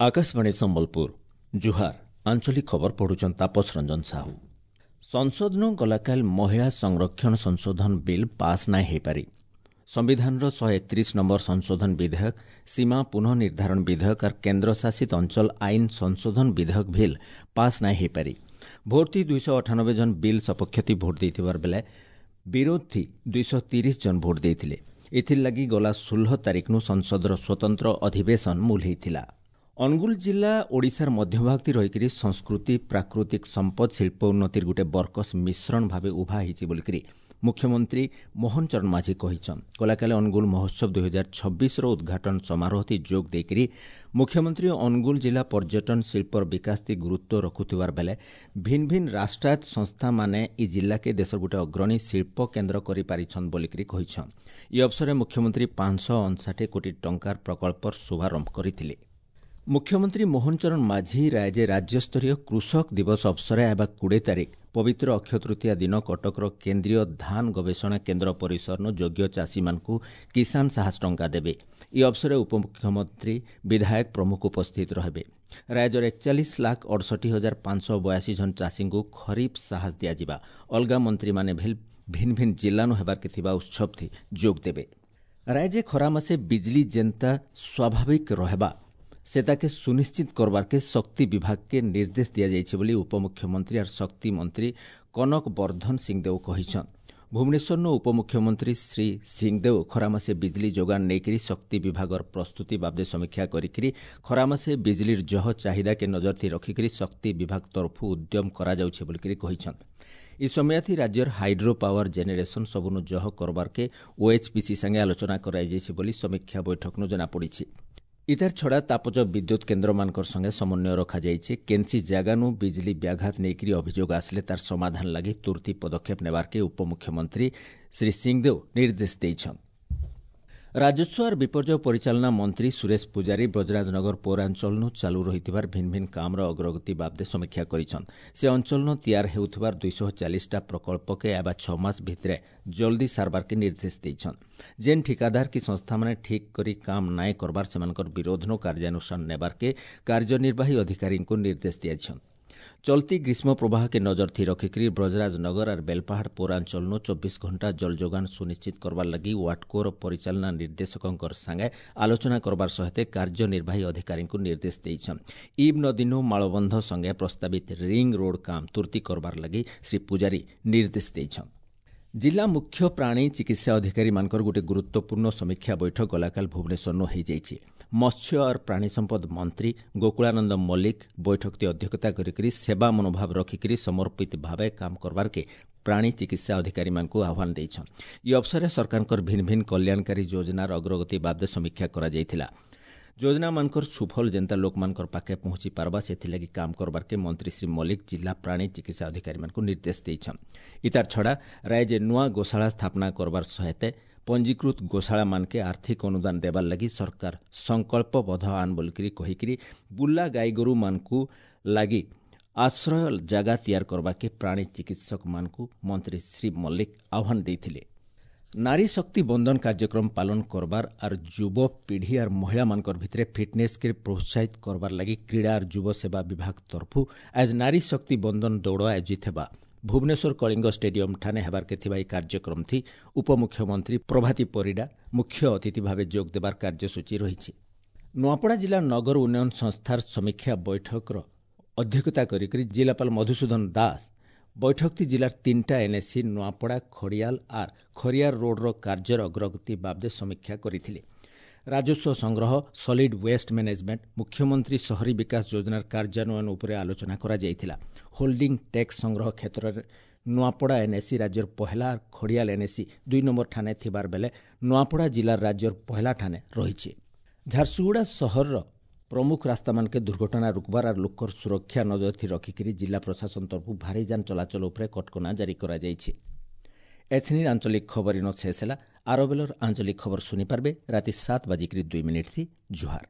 ଆକାଶବାଣୀ ସମ୍ବଲପୁର, ଜୁହାର। ଆଞ୍ଚଳିକ ଖବର ପଢୁଛନ୍ ତାପସ ରଞ୍ଜନ ସାହୁ। ସଂସଦନୁ ଗଲାକାଲି ମହିଳା ସଂରକ୍ଷଣ ସଂଶୋଧନ ବିଲ୍ ପାସ୍ ନାଇଁ ହେଇପାରି। ସମ୍ବିଧାନର 131 ନମ୍ବର ସଂଶୋଧନ ବିଧେୟକ, ସୀମା ପୁନଃ ନିର୍ଦ୍ଧାରଣ ବିଧେୟକ ଆର୍ କେନ୍ଦ୍ରଶାସିତ ଅଞ୍ଚଳ ଆଇନ ସଂଶୋଧନ ବିଧେୟକ ବିଲ୍ ପାସ୍ ନାଇଁ ହେଇପାରି। ଭୋଟ୍ଥି 298 ଜଣ ବିଲ୍ ସପକ୍ଷଥି ଭୋଟ୍ ଦେଇଥିବାର ବେଲେ ବିରୋଧଥି 230 ଜଣ ଭୋଟ୍ ଦେଇଥିଲେ। ଏଥିର୍ଲାଗି ଗଲା 16 ତାରିଖନୁ ସଂସଦର ସ୍ୱତନ୍ତ୍ର ଅଧିବେଶନ ମୂଲ ହେଇଥିଲା। ଅନୁଗୁଳ ଜିଲ୍ଲା ଓଡ଼ିଶାର ମଧ୍ୟଭାଗତି ରହିକରି ସଂସ୍କୃତି, ପ୍ରାକୃତିକ ସମ୍ପଦ, ଶିଳ୍ପ ଉନ୍ନତିର ଗୋଟେ ବରକସ ମିଶ୍ରଣ ଭାବେ ଉଭା ହେଇଛି ବୋଲିକରି ମୁଖ୍ୟମନ୍ତ୍ରୀ ମୋହନ ଚରଣ ମାଝୀ କହିଛନ୍। ଗଲାକାଲି ଅନୁଗୁଳ ମହୋତ୍ସବ 2026ର ଉଦ୍ଘାଟନ ସମାରୋହଥି ଯୋଗ ଦେଇକରି ମୁଖ୍ୟମନ୍ତ୍ରୀ ଅନୁଗୁଳ ଜିଲ୍ଲା ପର୍ଯ୍ୟଟନ ଶିଳ୍ପର ବିକାଶଥି ଗୁରୁତ୍ୱ ରଖୁଥିବାର ବେଲେ ଭିନ୍ ଭିନ୍ ରାଷ୍ଟ୍ରାୟତ୍ତ ସଂସ୍ଥାମାନେ ଇ ଜିଲ୍ଲାକେ ଦେଶର ଗୋଟେ ଅଗ୍ରଣୀ ଶିଳ୍ପ କେନ୍ଦ୍ର କରିପାରିଛନ୍ ବୋଲିକରି କହିଛନ୍। ଇ ଅବସରରେ ମୁଖ୍ୟମନ୍ତ୍ରୀ 559 କୋଟି ଟଙ୍କାର ପ୍ରକଳ୍ପର ଶୁଭାରମ୍ଭ କରିଥିଲେ। ମୁଖ୍ୟମନ୍ତ୍ରୀ ମୋହନ ଚରଣ ମାଝୀ ରାୟଜେ ରାଜ୍ୟସ୍ତରୀୟ କୃଷକ ଦିବସ ଅବସରରେ ହେବା 20 ତାରିଖ ପବିତ୍ର ଅକ୍ଷୟ ତୃତୀୟା ଦିନ କଟକର କେନ୍ଦ୍ରୀୟ ଧାନ ଗବେଷଣା କେନ୍ଦ୍ର ପରିସରନୁ ଯୋଗ୍ୟ ଚାଷୀମାନଙ୍କୁ କିଷାନ ସାହସ ଟଙ୍କା ଦେବେ। ଏହି ଅବସରରେ ଉପମୁଖ୍ୟମନ୍ତ୍ରୀ, ବିଧାୟକ ପ୍ରମୁଖ ଉପସ୍ଥିତ ରହିବେ। ରାଜ୍ୟର 41,68,582 ଜଣ ଚାଷୀଙ୍କୁ ଖରିଫ ସାହସ ଦିଆଯିବା। ଅଲଗା ମନ୍ତ୍ରୀମାନେ ଭିନ୍ ଭିନ୍ ଜିଲ୍ଲାନୁ ହେବାର୍କେ ଥିବା ଉତ୍ସବଥି ଯୋଗ ଦେବେ। ରାଜ୍ୟ ଖରା ମାସେ ବିଜଲି ଯେନ୍ତା ସ୍ୱାଭାବିକ ରହେବା ସେତାକେ ସୁନିଶ୍ଚିତ କରବାର୍କେ ଶକ୍ତି ବିଭାଗକେ ନିର୍ଦ୍ଦେଶ ଦିଆଯାଇଛି ବୋଲି ଉପମୁଖ୍ୟମନ୍ତ୍ରୀ ଆର୍ ଶକ୍ତି ମନ୍ତ୍ରୀ କନକ ବର୍ଦ୍ଧନ ସିଂଦେଓ କହିଛନ୍। ଭୁବନେଶ୍ୱରନୁ ଉପମୁଖ୍ୟମନ୍ତ୍ରୀ ଶ୍ରୀ ସିଂଦେଓ ଖରାମାସେ ବିଜଲି ଯୋଗାଣ ନେଇକରି ଶକ୍ତି ବିଭାଗର ପ୍ରସ୍ତୁତି ବାବଦେ ସମୀକ୍ଷା କରିକିରି ଖରାମାସେ ବିଜଲିର ଜହ ଚାହିଦାକେ ନଜରଥି ରଖିକରି ଶକ୍ତି ବିଭାଗ ତରଫୁ ଉଦ୍ୟମ କରାଯାଉଛି ବୋଲିକରି କହିଛନ୍। ଇ ସମୟାଥି ରାଜ୍ୟର ହାଇଡ୍ରୋ ପାୱାର ଜେନେରେସନ୍ ସବୁନୁ ଜହ କରବାର୍କେ ଓଏଚ୍ପିସି ସାଙ୍ଗେ ଆଲୋଚନା କରାଯାଇଛି ବୋଲି ସମୀକ୍ଷା ବୈଠକନୁ ଜଣାପଡ଼ିଛି। ଇତାର ଛଡ଼ା ତାପଜ ବିଦ୍ୟୁତ୍ କେନ୍ଦ୍ରମାନଙ୍କର ସଙ୍ଗେ ସମନ୍ୱୟ ରଖାଯାଇଛି। କେନ୍ସି ଜାଗାନୁ ବିଜଲି ବ୍ୟାଘାତ ନେଇକରି ଅଭିଯୋଗ ଆସିଲେ ତାର ସମାଧାନ ଲାଗି ତୁର୍ତି ପଦକ୍ଷେପ ନେବାର୍କେ ଉପମୁଖ୍ୟମନ୍ତ୍ରୀ ଶ୍ରୀ ସିଂଦେଓ ନିର୍ଦ୍ଦେଶ ଦେଇଛନ୍। ରାଜସ୍ୱ ଆର୍ ବିପର୍ଯ୍ୟୟ ପରିଚାଳନା ମନ୍ତ୍ରୀ ସୁରେଶ ପୂଜାରୀ ବ୍ରଜରାଜନଗର ପୌରାଞ୍ଚଳନୁ ଚାଲୁ ରହିଥିବାର ଭିନ୍ ଭିନ୍ କାମର ଅଗ୍ରଗତି ବାବଦେ ସମୀକ୍ଷା କରିଛନ୍। ସେ ଅଞ୍ଚଳନୁ ତିଆର ହେଉଥିବାର 240ଟା ପ୍ରକଳ୍ପକେ ଆବା 6 ମାସ ଭିତରେ ଜଲ୍ଦି ସାରବାର୍କେ ନିର୍ଦ୍ଦେଶ ଦେଇଛନ୍। ଯେନ୍ ଠିକାଦାର କି ସଂସ୍ଥାମାନେ ଠିକ୍ କରି କାମ ନାଇଁ କରବାର ସେମାନଙ୍କର ବିରୋଧନୁ କାର୍ଯ୍ୟାନୁଷ୍ଠାନ ନେବାର୍କେ କାର୍ଯ୍ୟନିର୍ବାହୀ ଅଧିକାରୀଙ୍କୁ ନିର୍ଦ୍ଦେଶ ଦିଆଛନ୍। ଚଲତି ଗ୍ରୀଷ୍ମ ପ୍ରବାହକେ ନଜର ଥି ରଖିକରି ବ୍ରଜରାଜନଗର ଆର୍ ବେଲପାହାଡ଼ ପୌରାଞ୍ଚଳନୁ 24 ଘଣ୍ଟା ଜଳ ଯୋଗାଣ ସୁନିଶ୍ଚିତ କରବାର୍ ଲାଗି ୱାଟ୍କୋର ପରିଚାଳନା ନିର୍ଦ୍ଦେଶକଙ୍କର ସାଙ୍ଗେ ଆଲୋଚନା କରବାର ସହିତ କାର୍ଯ୍ୟନିର୍ବାହୀ ଅଧିକାରୀଙ୍କୁ ନିର୍ଦ୍ଦେଶ ଦେଇଛନ୍। ଇବ୍ ନଦୀନୁ ମାଳବନ୍ଧ ସଙ୍ଗେ ପ୍ରସ୍ତାବିତ ରିଙ୍ଗ ରୋଡ୍ କାମ ତୁର୍ତି କରବାର୍ ଲାଗି ଶ୍ରୀ ପୂଜାରୀ ନିର୍ଦ୍ଦେଶ ଦେଇଛନ୍। ଜିଲ୍ଲା ମୁଖ୍ୟ ପ୍ରାଣୀ ଚିକିତ୍ସା ଅଧିକାରୀମାନଙ୍କର ଗୋଟେ ଗୁରୁତ୍ୱପୂର୍ଣ୍ଣ ସମୀକ୍ଷା ବୈଠକ ଗଲାକାଲି ଭୁବନେଶ୍ୱରନୁ ହୋଇଯାଇଛି। ମତ୍ସ୍ୟ ଆର୍ ପ୍ରାଣୀ ସମ୍ପଦ ମନ୍ତ୍ରୀ ଗୋକୁଳାନନ୍ଦ ମଲ୍ଲିକ ବୈଠକଟି ଅଧ୍ୟକ୍ଷତା କରିକରି ସେବା ମନୋଭାବ ରଖିକରି ସମର୍ପିତ ଭାବେ କାମ କରବାର୍କେ ପ୍ରାଣୀ ଚିକିତ୍ସା ଅଧିକାରୀମାନଙ୍କୁ ଆହ୍ୱାନ ଦେଇଛନ୍। ଇ ଅବସରରେ ସରକାରଙ୍କର ଭିନ୍ ଭିନ୍ କଲ୍ୟାଣକାରୀ ଯୋଜନାର ଅଗ୍ରଗତି ବାବଦେ ସମୀକ୍ଷା କରାଯାଇଥିଲା। ଯୋଜନାମାନଙ୍କର ସୁଫଳ ଯେନ୍ତା ଲୋକମାନଙ୍କର ପାଖେ ପହଞ୍ଚି ପାରବା ସେଥିଲାଗି କାମ କରବାର୍କେ ମନ୍ତ୍ରୀ ଶ୍ରୀ ମଲ୍ଲିକ ଜିଲ୍ଲା ପ୍ରାଣୀ ଚିକିତ୍ସା ଅଧିକାରୀମାନଙ୍କୁ ନିର୍ଦ୍ଦେଶ ଦେଇଛନ୍। ଇତାର ଛଡ଼ା ରାଜ୍ୟ ନୂଆ ଗୋଶାଳା ସ୍ଥାପନା କରବାର ସହାୟତା ପଞ୍ଜୀକୃତ ଗୋଶାଳାମାନକେ ଆର୍ଥିକ ଅନୁଦାନ ଦେବାର ଲାଗି ସରକାର ସଂକଳ୍ପବଦ୍ଧ ଆନ୍ ବୋଲିକରି କହିକିରି ବୁଲା ଗାଈଗୋରୁମାନଙ୍କୁ ଲାଗି ଆଶ୍ରୟ ଜାଗା ତିଆର କରବାକେ ପ୍ରାଣୀ ଚିକିତ୍ସକମାନଙ୍କୁ ମନ୍ତ୍ରୀ ଶ୍ରୀ ମଲ୍ଲିକ ଆହ୍ୱାନ ଦେଇଥିଲେ। ନାରୀ ଶକ୍ତି ବନ୍ଦନ କାର୍ଯ୍ୟକ୍ରମ ପାଳନ କରବାର ଆର୍ ଯୁବପିଢ଼ି ଆର୍ ମହିଳାମାନଙ୍କର ଭିତରେ ଫିଟନେସ୍କେ ପ୍ରୋତ୍ସାହିତ କରବାର ଲାଗି କ୍ରୀଡ଼ା ଆର୍ ଯୁବ ସେବା ବିଭାଗ ତରଫୁ ଆଜ ନାରୀ ଶକ୍ତି ବନ୍ଦନ ଦୌଡ଼ ଆୟୋଜିତ ହେବା। ଭୁବନେଶ୍ୱର କଳିଙ୍ଗ ଷ୍ଟାଡିୟମ ଠାନେ ହେବାର୍କେ ଥିବା ଏହି କାର୍ଯ୍ୟକ୍ରମଥି ଉପମୁଖ୍ୟମନ୍ତ୍ରୀ ପ୍ରଭାତୀ ପରିଡ଼ା ମୁଖ୍ୟ ଅତିଥି ଭାବେ ଯୋଗ ଦେବାର କାର୍ଯ୍ୟସୂଚୀ ରହିଛି। ନୂଆପଡ଼ା ଜିଲ୍ଲା ନଗର ଉନ୍ନୟନ ସଂସ୍ଥାର ସମୀକ୍ଷା ବୈଠକର ଅଧ୍ୟକ୍ଷତା କରିକରି ଜିଲ୍ଲାପାଳ ମଧୁସୂଦନ ଦାସ ବୈଠକଟି ଜିଲ୍ଲାର 3ଟା ଏନ୍ଏସି ନୂଆପଡ଼ା, ଖଡ଼ିଆଲ ଆର୍ ଖରିଆର ରୋଡ୍ର କାର୍ଯ୍ୟର ଅଗ୍ରଗତି ବାବଦେ ସମୀକ୍ଷା କରିଥିଲେ। ରାଜସ୍ୱ ସଂଗ୍ରହ, ସଲିଡ୍ ୱେଷ୍ଟ ମ୍ୟାନେଜମେଣ୍ଟ, ମୁଖ୍ୟମନ୍ତ୍ରୀ ସହରୀ ବିକାଶ ଯୋଜନାର କାର୍ଯ୍ୟାନ୍ୱୟନ ଉପରେ ଆଲୋଚନା କରାଯାଇଥିଲା। ହୋଲ୍ଡିଂ ଟ୍ୟାକ୍ସ ସଂଗ୍ରହ କ୍ଷେତ୍ରରେ ନୂଆପଡ଼ା ଏନ୍ଏସି ରାଜ୍ୟର ପହେଲା, ଖଡ଼ିଆଲ ଏନ୍ଏସି 2 ନମ୍ବର ଠାନେ ଥିବାର ବେଲେ ନୂଆପଡ଼ା ଜିଲ୍ଲାର ରାଜ୍ୟର ପହେଲା ଠାନେ ରହିଛି। ଝାରସୁଗୁଡ଼ା ସହରର ପ୍ରମୁଖ ରାସ୍ତାମାନକେ ଦୁର୍ଘଟଣା ରୋକବାର ଆର୍ ଲୋକର ସୁରକ୍ଷା ନଜରଥି ରଖିକରି ଜିଲ୍ଲା ପ୍ରଶାସନ ତରଫରୁ ଭାରୀ ଯାନ ଚଳାଚଳ ଉପରେ କଟକଣା ଜାରି କରାଯାଇଛି। ଏଛିନି ଆଞ୍ଚଳିକ ଖବର ଇନ ଶେଷ ହେଲା। ଆର ବେଲର ଆଞ୍ଚଳିକ ଖବର ଶୁଣିପାରିବେ ରାତି 7:02 ଥି। ଜୁହାର।